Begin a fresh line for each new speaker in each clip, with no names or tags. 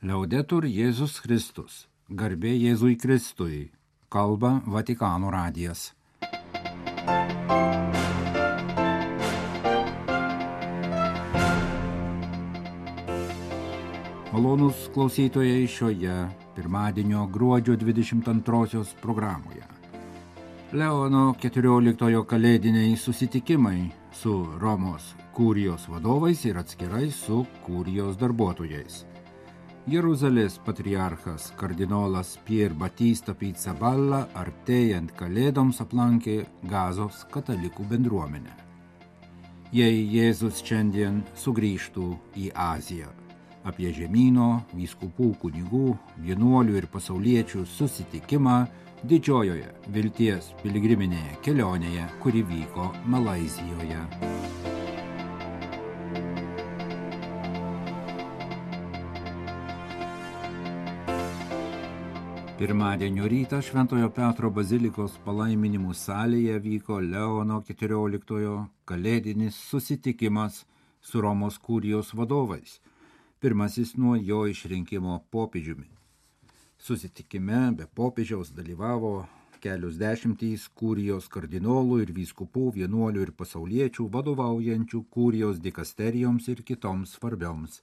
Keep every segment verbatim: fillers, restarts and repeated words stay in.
Liaudetur Jėzus Kristus, garbė Jėzui Kristui, kalba Vatikano radijas. Malonūs klausytojai šioje pirmadienio gruodžio dvidešimt antrosios programoje. Leono keturioliktojo kalėdiniai susitikimai su Romos kurijos vadovais ir atskirai su kurijos darbuotojais. Jeruzalės patriarchas kardinolas Pier Batista Pizzaballa artėjant kalėdoms aplankė Gazos katalikų bendruomenę. Jei Jėzus šiandien sugrįžtų į Aziją, apie žemyno, vyskupų, kunigų, vienuolių ir pasauliečių susitikimą didžiojoje vilties piligriminėje kelionėje, kuri vyko Malaizijoje. Pirmadienio rytą Šventojo Petro bazilikos palaiminimų salėje vyko Leono keturioliktojo kalėdinis susitikimas su Romos kurijos vadovais, pirmasis nuo jo išrinkimo popiežiumi. Susitikime be popiežiaus dalyvavo kelios dešimtys kurijos kardinolų ir vyskupų, vienuolių ir pasauliečių vadovaujančių kurijos dikasterijoms ir kitoms svarbioms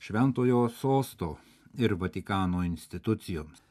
Šventojo sosto ir Vatikano institucijoms.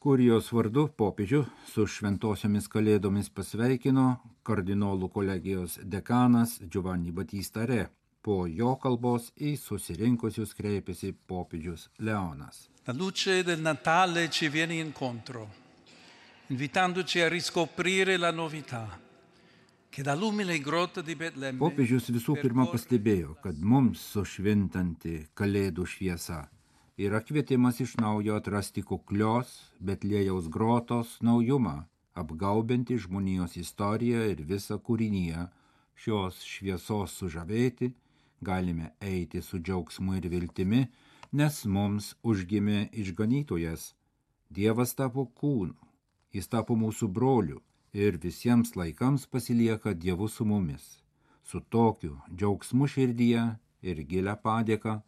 Kurijos vardu popiežių su šventosiomis kalėdomis pasveikino kardinolų kolegijos dekanas Giovanni Battista Re. Po jo kalbos į susirinkusius kreipėsi popiežius Leonas.
La luce del Natale ci viene incontro, invitandoci a riscoprire la novità, che dall'umile grotta di Betlemme.
Popiežius visų pirma pastebėjo, kad mums sušvintanti kalėdų šviesa yra kvietimas iš naujo atrasti kuklios Betliejaus grotos naujumą, apgaubianti žmonijos istoriją ir visą kūriniją. Šios šviesos sužavėti galime eiti su džiaugsmu ir viltimi, nes mums užgimė išganytojas. Dievas tapo kūnu, jis tapo mūsų broliu ir visiems laikams pasilieka Dievu su mumis. Su tokiu džiaugsmu širdyje ir gilia padėka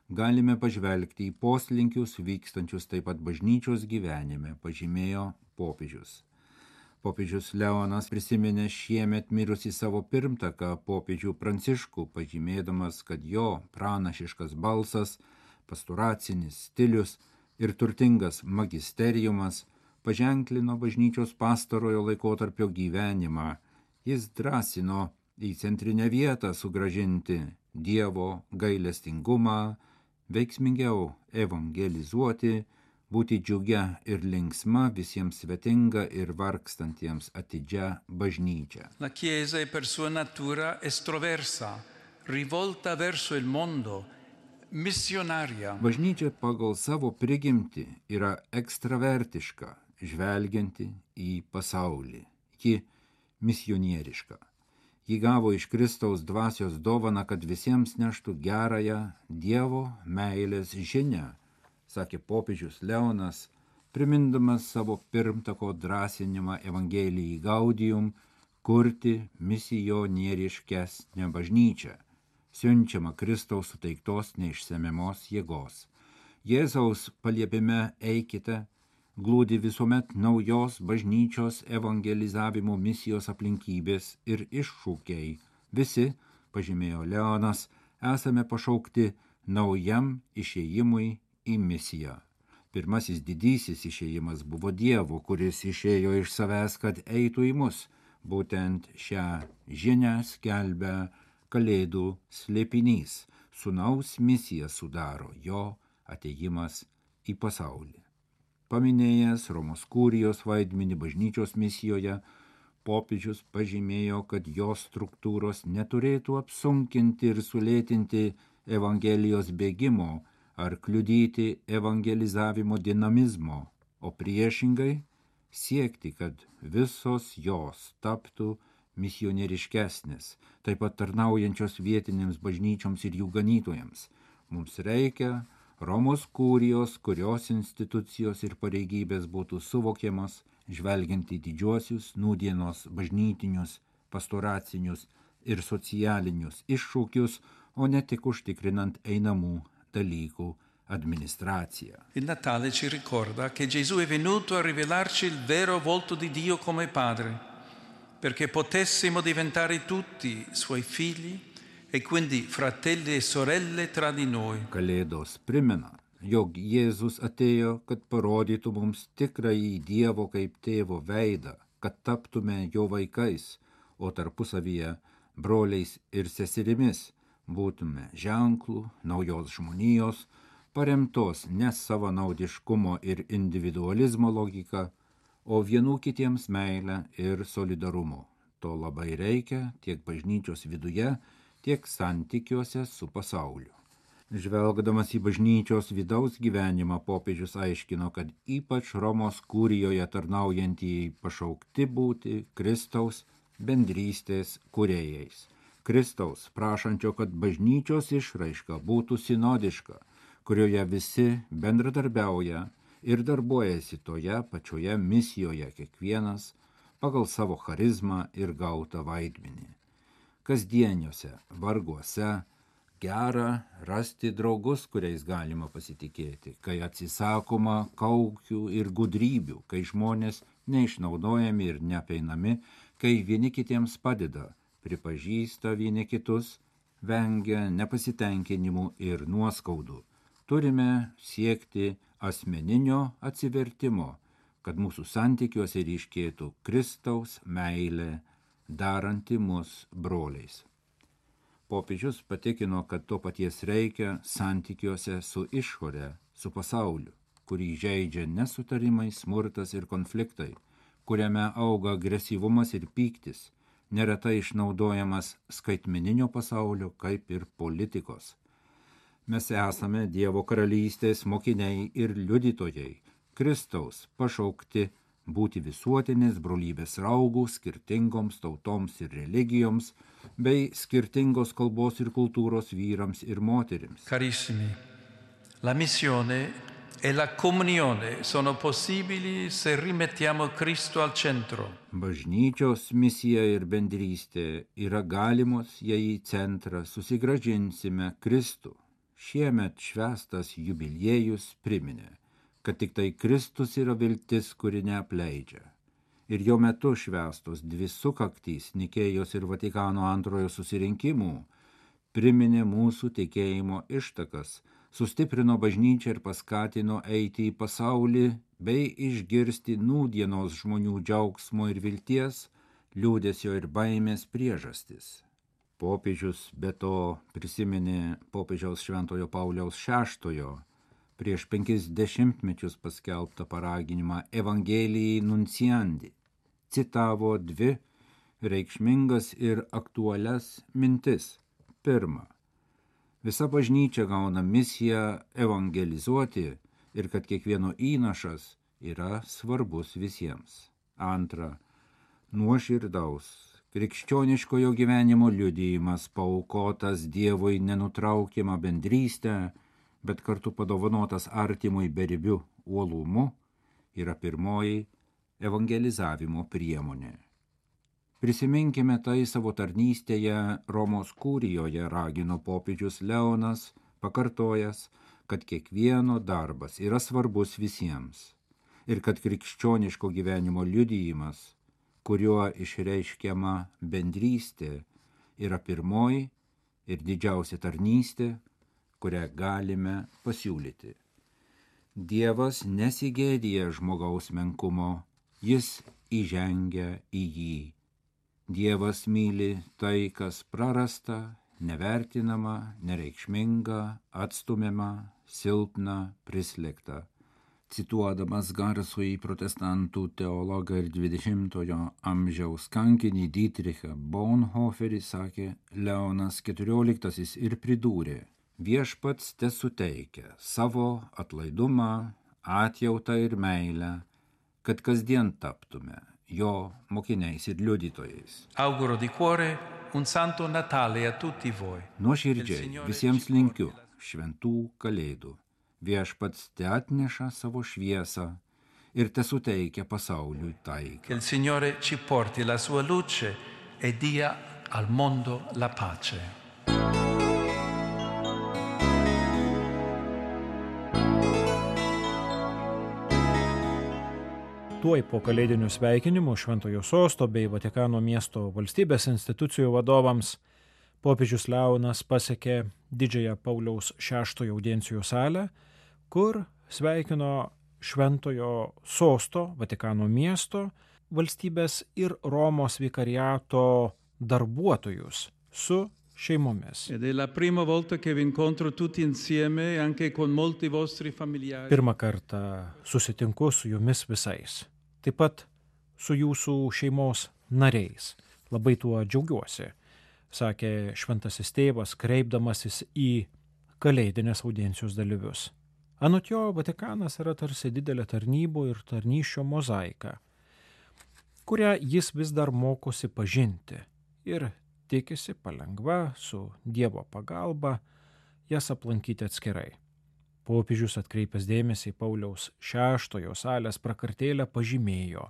galime pažvelgti į poslinkius vykstančius taip pat bažnyčios gyvenime, pažymėjo popiežius. Popiežius Leonas prisiminė šiemet mirusį savo pirmtaką popiežių Pranciškų, pažymėdamas, kad jo pranašiškas balsas, pastoracinis stilius ir turtingas magisteriumas paženklino bažnyčios pastarojo laikotarpio gyvenimą. Jis drąsino į centrinę vietą sugrąžinti Dievo gailestingumą, veiksmingiau evangelizuoti, būti džiugia ir linksma, visiems svetinga ir vargstantiems atidžia bažnyčia.
La Chiesa è per sua natura estroversa, rivolta verso il mondo, missionaria.
Bažnyčia pagal savo prigimtį yra ekstravertiška, žvelgianti į pasaulį. Ji misionieriška. Ji gavo iš Kristaus dvasios dovaną, kad visiems neštų gerąją Dievo meilės žinią, sakė popiežius Leonas, primindamas savo pirmtako drąsinimą Evangelijai Gaudium kurti misionieriškesnę bažnyčią, siunčiamą Kristaus suteiktos neišsemiamos jėgos. Jėzaus paliepime eikite glūdi visuomet naujos bažnyčios evangelizavimo misijos aplinkybės ir iššūkiai. Visi, pažymėjo Leonas, esame pašaukti naujam išėjimui į misiją. Pirmasis didysis išėjimas buvo Dievo, kuris išėjo iš savęs, kad eitų į mus. Būtent šią žinią skelbia Kalėdų slėpinys. Sūnaus misiją sudaro jo atėjimas į pasaulį. Paminėjęs Romos kurijos vaidmenį bažnyčios misijoje, popiežius pažymėjo, kad jos struktūros neturėtų apsunkinti ir sulėtinti Evangelijos bėgimo ar kliudyti evangelizavimo dinamizmo, o priešingai siekti, kad visos jos taptų misionieriškesnės, taip pat tarnaujančios vietinėms bažnyčioms ir jų ganytojams. Mums reikia Romos kurijos, kurios institucijos ir pareigybės būtų suvokiamas, žvelgiant į didžiuosius nūdienos bažnytinius, pastoracinius ir socialinius iššūkius, o ne tik užtikrinant einamų dalykų administracija.
Il Natale ci ricorda che Gesù è venuto a rivelarci il vero volto di Dio come Padre, perché potessimo diventare tutti Suoi figli e quindi fratelli e sorelle tra di noi.
Kalėdos primena, jog Jėzus atėjo, kad parodytų mums tikrąjį Dievo kaip tėvo veidą, kad taptume jo vaikais, o tarpusavyje broliais ir seserimis, būtume ženklų naujos žmonijos, paremtos ne savanaudiškumo ir individualizmo logika, o vienų kitiems meilę ir solidarumo. To labai reikia tiek bažnyčios viduje, tiek santykiuose su pasauliu. Žvelgdamas į bažnyčios vidaus gyvenimą, popiežius aiškino, kad ypač Romos kūrijoje tarnaujantieji pašaukti būti Kristaus bendrystės kūrėjais. Kristaus prašančio, kad bažnyčios išraiška būtų sinodiška, kurioje visi bendradarbiauja ir darbuojasi toje pačioje misijoje kiekvienas pagal savo charizmą ir gautą vaidmenį. Kasdieniuose varguose gera rasti draugus, kuriais galima pasitikėti, kai atsisakoma kaukių ir gudrybių, kai žmonės neišnaudojami ir neapeinami, kai vieni kitiems padeda, pripažįsta vieni kitus, vengia nepasitenkinimų ir nuoskaudų. Turime siekti asmeninio atsivertimo, kad mūsų santykiuose ryškėtų Kristaus meilė, daranti mus broliais. Popiežius patikino, kad to paties reikia santykiuose su išore, su pasauliu, kurį žeidžia nesutarimai, smurtas ir konfliktai, kuriame auga agresyvumas ir pyktis, neretai išnaudojamas skaitmeninio pasaulio kaip ir politikos. Mes esame Dievo karalystės mokiniai ir liudytojai, Kristaus pašaukti būti visuotinės brolybės raugų skirtingoms tautoms ir religijoms, bei skirtingos kalbos ir kultūros vyrams ir moterims.
Carissimi, la missione e la comunione sono possibili se rimettiamo Cristo al centro.
Bažnyčios misija ir bendrystė yra galimos, jei į centrą susigrąžinsime Kristų. Šiemet švęstas jubiliejus priminė, kad tik tai Kristus yra viltis, kuri neapleidžia. Ir jo metu švęstos dvi sukaktys Nikėjos ir Vatikano antrojo susirinkimų priminė mūsų tikėjimo ištakas, sustiprino bažnyčią ir paskatino eiti į pasaulį bei išgirsti nūdienos žmonių džiaugsmo ir vilties, liūdesio ir baimės priežastis. Popiežius be to prisiminė popiežiaus Šventojo Pauliaus šeštojo prieš penkis dešimtmečius paskelbtą paraginimą Evangelijai nunciandi, citavo dvi reikšmingas ir aktualias mintis. Pirma, visa bažnyčia gauna misiją evangelizuoti ir kad kiekvieno įnašas yra svarbus visiems. Antra, nuoširdaus, krikščioniškojo gyvenimo liudijimas paaukotas Dievui nenutraukiamą bendrystę, bet kartu padovanotas artimui beribiu uolumu, yra pirmoji evangelizavimo priemonė. Prisiminkime tai savo tarnystėje Romos kūrijoje, ragino popiežius Leonas, pakartojęs, kad kiekvieno darbas yra svarbus visiems ir kad krikščioniško gyvenimo liudijimas, kuriuo išreiškiama bendrystė, yra pirmoji ir didžiausia tarnystė, kurią galime pasiūlyti. Dievas nesigėdija žmogaus menkumo, jis įžengia į jį. Dievas myli tai, kas prarasta, nevertinama, nereikšminga, atstumiama, silpna, prislėgta. Cituodamas garsųjį protestantų teologą ir dvidešimtojo amžiaus kankinį Dietrichą Bonhoefferį, sakė Leonas keturioliktasis ir pridūrė: viešpats tesuteikia savo atlaidumą, atjautą ir meilę, kad kasdien taptume jo mokiniais ir liudytojais.
Auguro di cuore un santo Natale a tutti voi.
Nuoširdžiai visiems linkiu šventų kalėdų. Viešpats te atneša savo šviesą ir te suteikia pasauliui taiką.
Che il Signore ci porti la sua luce e dia al mondo la pace.
tuoj po kalėdinių sveikinimų Šventojo sosto bei Vatikano miesto valstybės institucijų vadovams popiežius Leonas pasiekė didžiąją Pauliaus šeštojo audiencijų salę, kur sveikino Šventojo sosto, Vatikano miesto, valstybės ir Romos vikariato darbuotojus su šeimomis.
Ed è la prima volta che vi incontro tutti insieme anche con molti vostri familiari.
Pirmą kartą susitinku su jumis visais, taip pat su jūsų šeimos nariais. Labai tuo džiaugiuosi, sakė šventasis tėvas, kreipdamasis į kalėdinės audiencijos dalyvius. Anot jo, Vatikanas yra tarsi didelė tarnybų ir tarnysčio mozaika, kurią jis vis dar mokosi pažinti ir tikisi palengva su Dievo pagalba jas aplankyti atskirai. Popiežius atkreipęs dėmesį į Pauliaus šeštojo salės prakartėlę pažymėjo,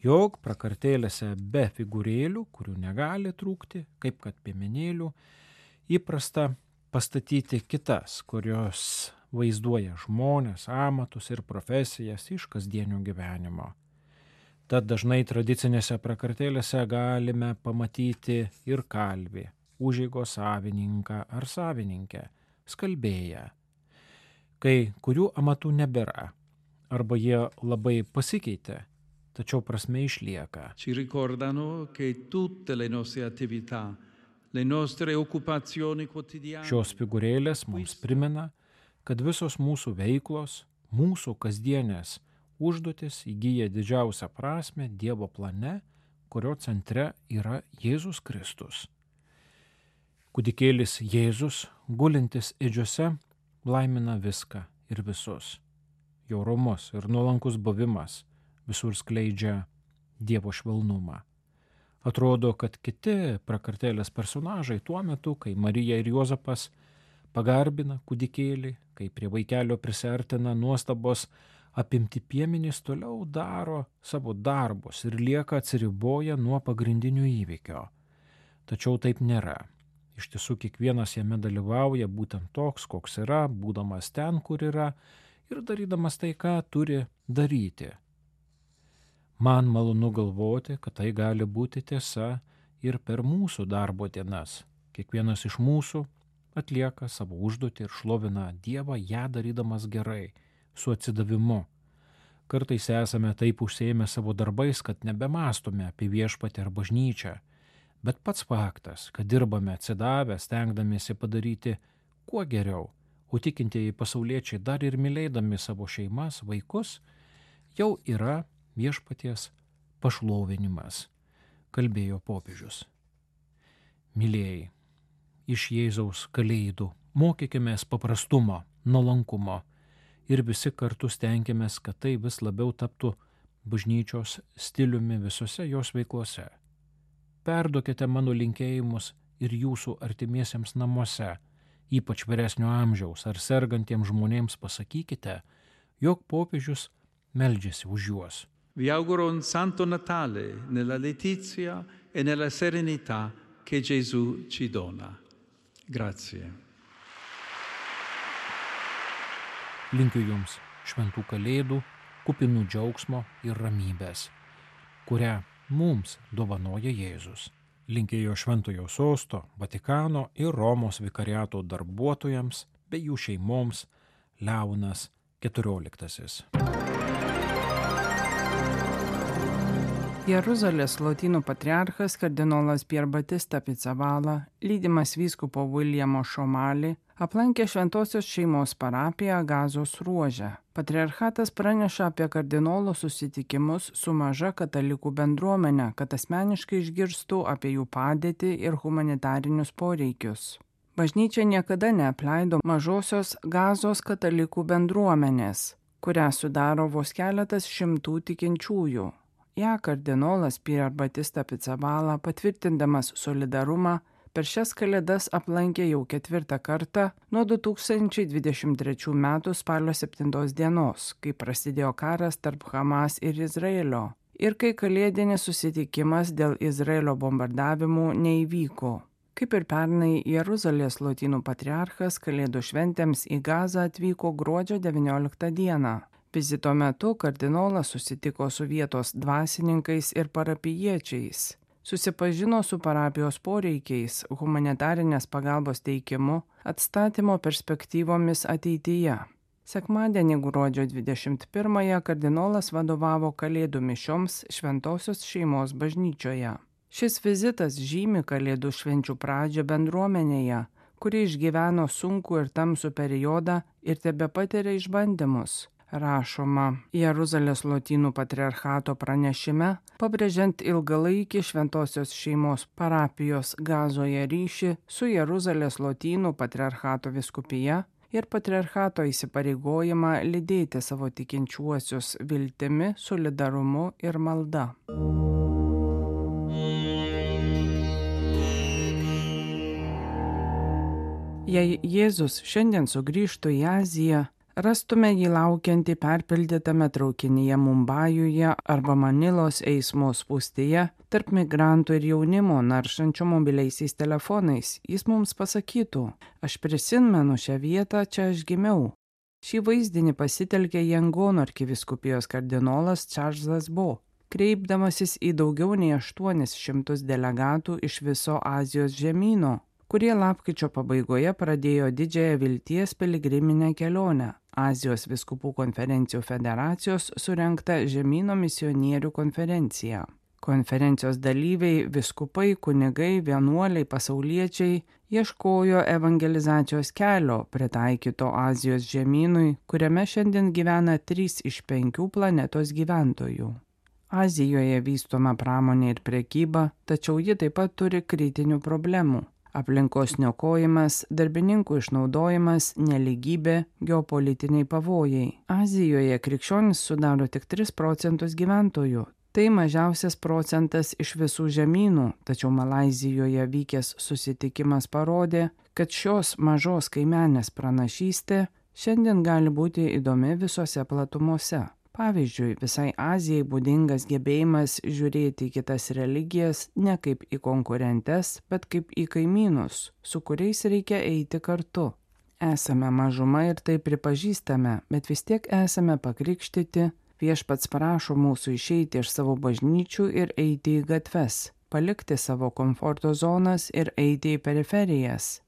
jog prakartėlėse be figūrėlių, kurių negali trūkti, kaip kad piemenėlių, įprasta pastatyti kitas, kurios vaizduoja žmones, amatus ir profesijas iš kasdienio gyvenimo. Tad dažnai tradicinėse prakartėlėse galime pamatyti ir kalvį, užeigos savininką ar savininkę, skalbėją, kai kurių amatų nebėra, arba jie labai pasikeitė, tačiau prasme išlieka.
Ci ricordano che tutte le nostre attività, le nostre occupazioni quotidiane.
Šios figūrėlės mums primena, kad visos mūsų veiklos, mūsų kasdienės užduotis įgyja didžiausią prasmę Dievo plane, kurio centre yra Jėzus Kristus. Kūdikėlis Jėzus, gulintis ėdžiose, laimina viską ir visus. Jo romus ir nuolankus buvimas visur skleidžia Dievo švelnumą. Atrodo, kad kiti prakartėlės personažai tuo metu, kai Marija ir Juozapas pagarbina kūdikėlį, kai prie vaikelio prisiartina nuostabos apimti piemenys, toliau daro savo darbus ir lieka atsiriboję nuo pagrindinių įvykio. Tačiau taip nėra. Iš tiesų kiekvienas jame dalyvauja būtent toks, koks yra, būdamas ten, kur yra ir darydamas tai, ką turi daryti. Man malonu galvoti, kad tai gali būti tiesa ir per mūsų darbo dienas. Kiekvienas iš mūsų atlieka savo užduotį ir šlovina Dievą, ją darydamas gerai, su atsidavimu. Kartais esame taip užsiėmę savo darbais, kad nebemastome apie viešpatį ar bažnyčią, bet pats faktas, kad dirbame atsidavę, stengdamiesi padaryti kuo geriau, o tikintieji pasauliečiai dar ir mylėdami savo šeimas, vaikus, jau yra viešpaties pašlovinimas, kalbėjo popiežius. Mylėjai, iš Jėzaus kalėdų mokykimės paprastumo, nuolankumo, ir visi kartu stengiamės, kad tai vis labiau taptų bažnyčios stiliumi visose jos veiklose. Perduokite mano linkėjimus ir jūsų artimiesiems namuose, ypač vyresnio amžiaus ar sergantiems žmonėms pasakykite, jog popiežius meldžiasi už juos.
Vi auguro un santo Natale nella letizia e nella serenità che Gesù ci dona. Grazie.
Linkiu jums šventų kalėdų, kupinų džiaugsmo ir ramybės, kurią mums dovanoja Jėzus. Linkėjo Šventojo sosto, Vatikano ir Romos vikariato darbuotojams bei jų šeimoms Leonas keturioliktasis.
Jeruzalės lotynų patriarchas kardinolas Pier Batista Pizzavalla, lydimas vyskupo Viljamo Šomalį, aplankė Šventosios šeimos parapiją Gazos ruože. Patriarchatas praneša apie kardinolo susitikimus su maža katalikų bendruomenė, kad asmeniškai išgirstų apie jų padėtį ir humanitarinius poreikius. Bažnyčia niekada neapleido mažosios Gazos katalikų bendruomenės, kurią sudaro vos keletas šimtų tikinčiųjų. Ja kardinolas Pier Batista Pizzavalla, patvirtindamas solidarumą, per šias kalėdas aplankė jau ketvirtą kartą nuo du tūkstančiai dvidešimt trečių metų spalio septintos dienos, kai prasidėjo karas tarp Hamas ir Izraelio, ir kai kalėdinis susitikimas dėl Izraelio bombardavimų neįvyko. Kaip ir pernai, Jeruzalės lotynų patriarchas kalėdų šventėms į Gazą atvyko gruodžio devynioliktą dieną. Vizito metu kardinolas susitiko su vietos dvasininkais ir parapijiečiais, susipažino su parapijos poreikiais, humanitarinės pagalbos teikimu, atstatymo perspektyvomis ateityje. Sekmadienį gruodžio dvidešimt pirmąją kardinolas vadovavo Kalėdų mišioms Šventosios šeimos bažnyčioje. Šis vizitas žymi Kalėdų švenčių pradžią bendruomenėje, kuri išgyveno sunkų ir tamsų periodą ir tebepatiria išbandymus, rašoma Jeruzalės Lotynų patriarchato pranešime, pabrėžiant ilgalaikį Šventosios šeimos parapijos Gazoje ryšį su Jeruzalės Lotynų patriarchato vyskupija ir patriarchato įsipareigojimą lydėti savo tikinčiuosius viltimi, solidarumu ir malda. Jei Jėzus šiandien sugrįžtų į Aziją, rastume jį laukiantį perpildytame traukinyje Mumbajuje arba Manilos eismo spūstyje tarp migrantų ir jaunimo naršančių mobiliaisiais telefonais. Jis mums pasakytų: aš prisimenu šią vietą, čia aš gimiau. Šį vaizdinį pasitelkė Jangono arkivyskupijos kardinolas Čarlzas Bo, kreipdamasis į daugiau nei aštuonis šimtus delegatų iš viso Azijos žemyno, kurie lapkričio pabaigoje pradėjo didžiąją vilties piligriminę kelionę. Azijos vyskupų konferencijų federacijos surengta žemyno misionierių konferencija. Konferencijos dalyviai, vyskupai, kunigai, vienuoliai, pasauliečiai ieškojo evangelizacijos kelio pritaikyto Azijos žemynui, kuriame šiandien gyvena trys iš penkių planetos gyventojų. Azijoje vystoma pramonė ir prekyba, tačiau ji taip pat turi kritinių problemų. Aplinkos niokojimas, darbininkų išnaudojimas, neligybė, geopolitiniai pavojai. Azijoje krikščionys sudaro tik tris procentus gyventojų. Tai mažiausias procentas iš visų žemynų, tačiau Malaizijoje vykęs susitikimas parodė, kad šios mažos kaimenės pranašystė šiandien gali būti įdomi visose platumose. Pavyzdžiui, visai Azijai būdingas gebėjimas žiūrėti į kitas religijas ne kaip į konkurentes, bet kaip į kaimynus, su kuriais reikia eiti kartu. Esame mažuma ir tai pripažįstame, bet vis tiek esame pakrikštyti. Viešpats prašo mūsų išeiti iš savo bažnyčių ir eiti į gatves, palikti savo komforto zonas ir eiti į periferijas.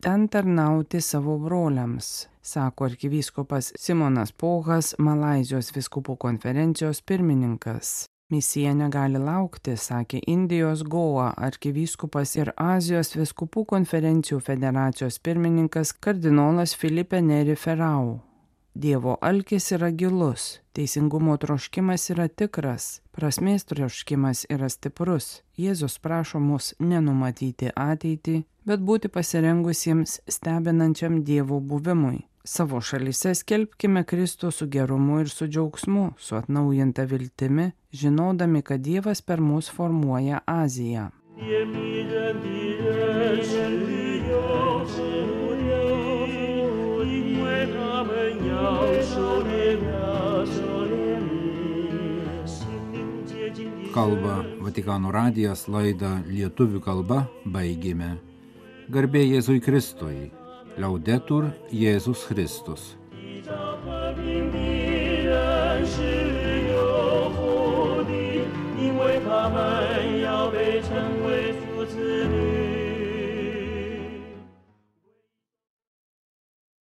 Ten tarnauti savo broliams, sako arkivyskupas Simonas Pohas, Malaizijos vyskupų konferencijos pirmininkas. Misija negali laukti, sakė Indijos Goa arkivyskupas ir Azijos vyskupų konferencijų federacijos pirmininkas kardinolas Filipe Neri Ferau. Dievo alkis yra gilus, teisingumo troškimas yra tikras, prasmės troškimas yra stiprus. Jėzus prašo mus nenumatyti ateitį, bet būti pasirengusiems stebinančiam Dievo buvimui. Savo šalyse skelbkime Kristų su gerumu ir su džiaugsmu, su atnaujinta viltimi, žinodami, kad Dievas per mus formuoja Aziją.
Kalba Vatikano radijas, laidą lietuvių kalba baigėme. Garbė Jėzui Kristui. Laudetur Jėzus Kristus.